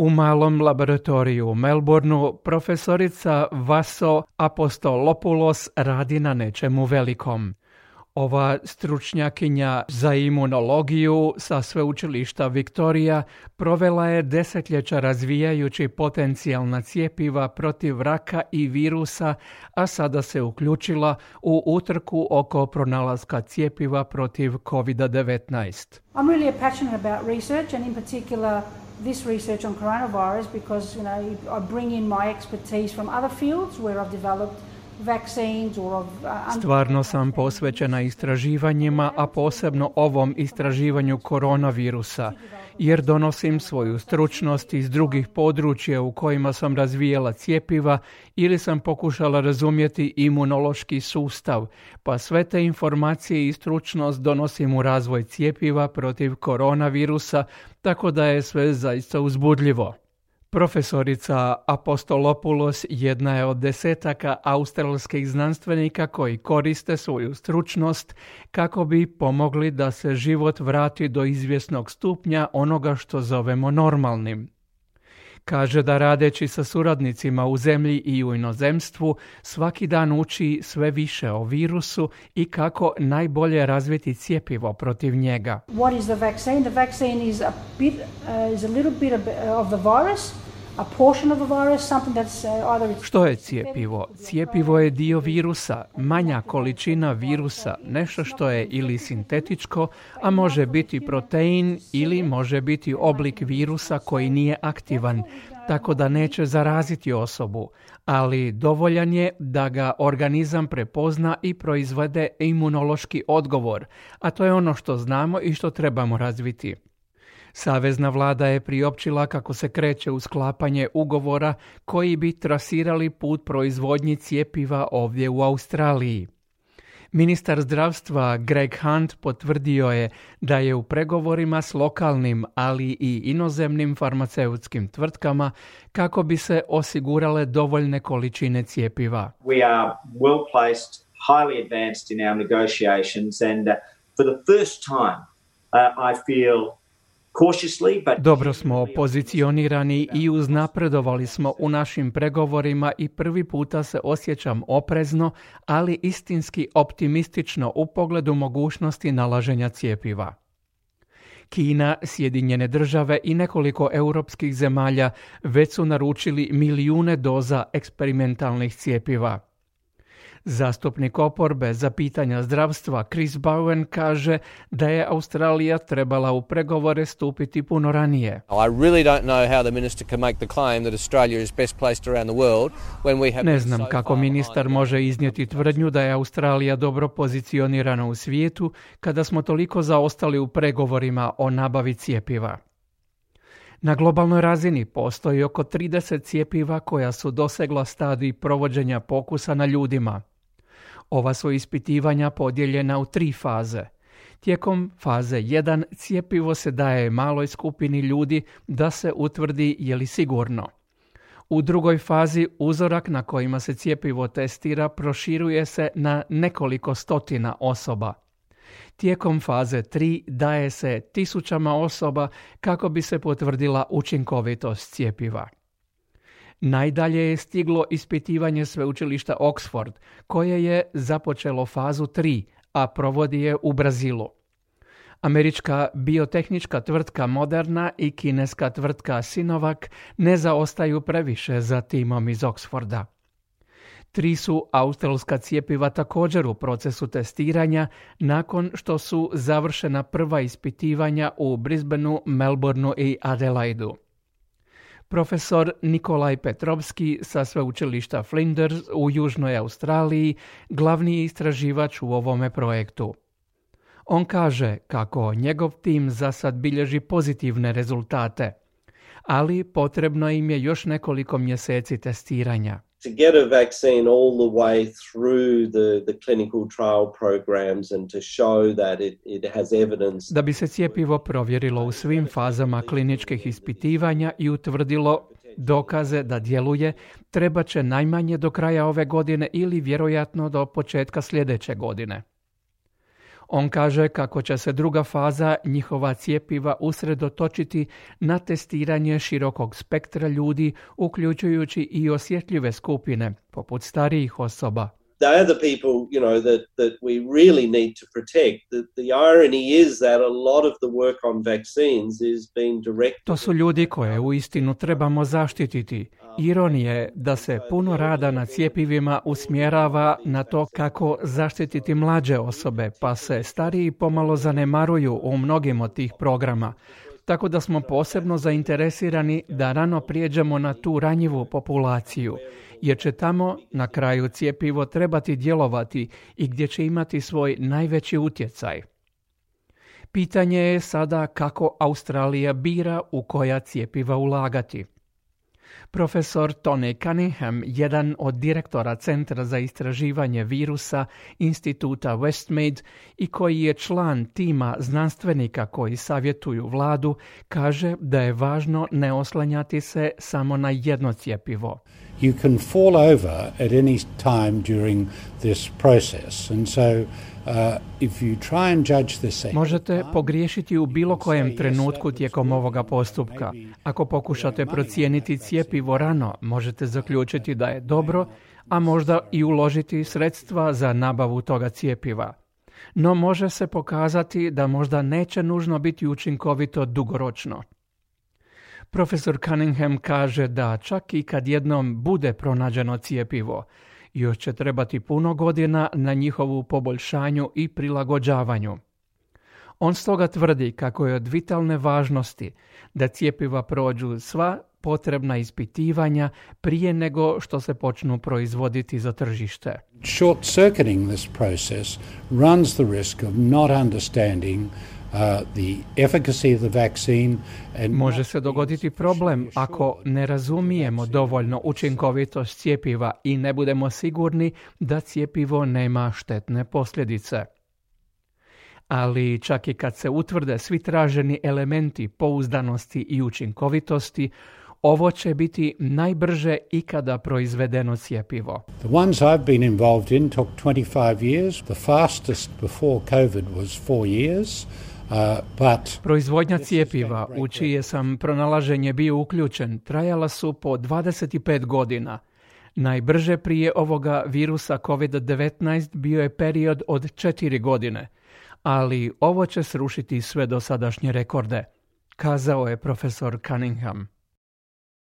U malom laboratoriju u Melbourneu profesorica Vaso Apostolopoulos radi na nečemu velikom. Ova stručnjakinja za imunologiju sa sveučilišta Victoria provela je desetljeća razvijajući potencijalna cjepiva protiv raka i virusa, a sada se uključila u utrku oko pronalaska cjepiva protiv COVID-19. I'm really passionate about research and in particular this research on coronavirus because I bring in my expertise from other fields where I've developed vaccines or of Stvarno sam posvećena istraživanjima, a posebno ovom istraživanju koronavirusa, jer donosim svoju stručnost iz drugih područja u kojima sam razvijala cjepiva ili sam pokušala razumjeti imunološki sustav, pa sve te informacije i stručnost donosim u razvoj cjepiva protiv koronavirusa, tako da je sve zaista uzbudljivo. Profesorica Apostolopoulos jedna je od desetaka australskih znanstvenika koji koriste svoju stručnost kako bi pomogli da se život vrati do izvjesnog stupnja onoga što zovemo normalnim. Kaže da radeći sa suradnicima u zemlji i u inozemstvu svaki dan uči sve više o virusu i kako najbolje razviti cjepivo protiv njega. What is the vaccine? The vaccine is a little bit of the virus. A portion of the virus, something that's either Što je cjepivo? Cjepivo je dio virusa, manja količina virusa, nešto što je ili sintetičko, a može biti protein ili može biti oblik virusa koji nije aktivan, tako da neće zaraziti osobu, ali dovoljan je da ga organizam prepozna i proizvede imunološki odgovor, a to je ono što znamo i što trebamo razviti. Savezna vlada je priopćila kako se kreće u sklapanje ugovora koji bi trasirali put proizvodnji cjepiva ovdje u Australiji. Ministar zdravstva Greg Hunt potvrdio je da je u pregovorima s lokalnim, ali i inozemnim farmaceutskim tvrtkama kako bi se osigurale dovoljne količine cjepiva. We are well placed, highly advanced in our negotiations and for the first time I feel Dobro smo pozicionirani i uznapredovali smo u našim pregovorima i prvi puta se osjećam oprezno, ali istinski optimistično u pogledu mogućnosti nalaženja cjepiva. Kina, Sjedinjene države i nekoliko europskih zemalja već su naručili milijune doza eksperimentalnih cjepiva. Zastupnik oporbe za pitanja zdravstva Chris Bowen kaže da je Australija trebala u pregovore stupiti puno ranije. Ne znam kako ministar može iznijeti tvrdnju da je Australija dobro pozicionirana u svijetu kada smo toliko zaostali u pregovorima o nabavi cjepiva. Na globalnoj razini postoji oko 30 cjepiva koja su dosegla stadij provođenja pokusa na ljudima. Ova su ispitivanja podijeljena u 3 faze. Tijekom faze 1 cjepivo se daje maloj skupini ljudi da se utvrdi je li sigurno. U drugoj fazi uzorak na kojima se cjepivo testira proširuje se na nekoliko stotina osoba. Tijekom faze 3 daje se tisućama osoba kako bi se potvrdila učinkovitost cjepiva. Najdalje je stiglo ispitivanje sveučilišta Oxford, koje je započelo fazu 3, a provodi je u Brazilu. Američka biotehnička tvrtka Moderna i kineska tvrtka Sinovac ne zaostaju previše za timom iz Oxforda. 3 su australska cjepiva također u procesu testiranja nakon što su završena prva ispitivanja u Brisbaneu, Melbourneu i Adelaidu. Profesor Nikolaj Petrovski sa sveučilišta Flinders u Južnoj Australiji glavni je istraživač u ovome projektu. On kaže kako njegov tim za sad bilježi pozitivne rezultate, ali potrebno im je još nekoliko mjeseci testiranja. To get a vaccine all the way through the clinical trial programs and to show that it has evidence. Da bi se cjepivo provjerilo u svim fazama kliničkih ispitivanja i utvrdilo dokaze da djeluje, treba će najmanje do kraja ove godine ili vjerojatno do početka sljedeće godine. On kaže kako će se druga faza njihova cjepiva usredotočiti na testiranje širokog spektra ljudi, uključujući i osjetljive skupine, poput starijih osoba. They are the people, that we really need to protect. The irony is that a lot of the work on vaccines is being directed. To su ljudi koje uistinu trebamo zaštititi. Ironija je da se puno rada na cjepivima usmjerava na to kako zaštititi mlađe osobe, pa se stariji pomalo zanemaruju u mnogim od tih programa. Tako da smo posebno zainteresirani da rano prijeđemo na tu ranjivu populaciju, jer će tamo na kraju cjepivo trebati djelovati i gdje će imati svoj najveći utjecaj. Pitanje je sada kako Australija bira u koja cjepiva ulagati. Profesor Tony Cunningham, jedan od direktora Centra za istraživanje virusa Instituta Westmead i koji je član tima znanstvenika koji savjetuju vladu, kaže da je važno ne oslanjati se samo na jedno cjepivo. You can fall over at any time during this process, and so if you try and judge this ahead, možete pogriješiti u bilo kojem trenutku tijekom ovoga postupka. Ako pokušate procijeniti cjepivo rano, možete zaključiti da je dobro, a možda i uložiti sredstva za nabavu toga cjepiva. No može se pokazati da možda neće nužno biti učinkovito dugoročno. Profesor Cunningham kaže da čak i kad jednom bude pronađeno cjepivo, još će trebati puno godina na njihovu poboljšanju i prilagođavanju. On stoga tvrdi kako je od vitalne važnosti da cjepiva prođu sva potrebna ispitivanja prije nego što se počnu proizvoditi za tržište. Short-circuiting this process runs the risk of not understanding the efficacy of the vaccine and može se dogoditi problem ako ne razumijemo dovoljno učinkovitost cjepiva i ne budemo sigurni da cjepivo nema štetne posljedice. Ali čak i kad se utvrde svi traženi elementi pouzdanosti i učinkovitosti, ovo će biti najbrže ikada proizvedeno cjepivo. The ones I've been involved in took 25 years. The fastest before COVID was 4 years. Proizvodnja cjepiva u čije sam pronalaženje bio uključen trajala su po 25 godina. Najbrže prije ovoga virusa COVID-19 bio je period od 4 godine, ali ovo će srušiti sve dosadašnje rekorde, kazao je profesor Cunningham.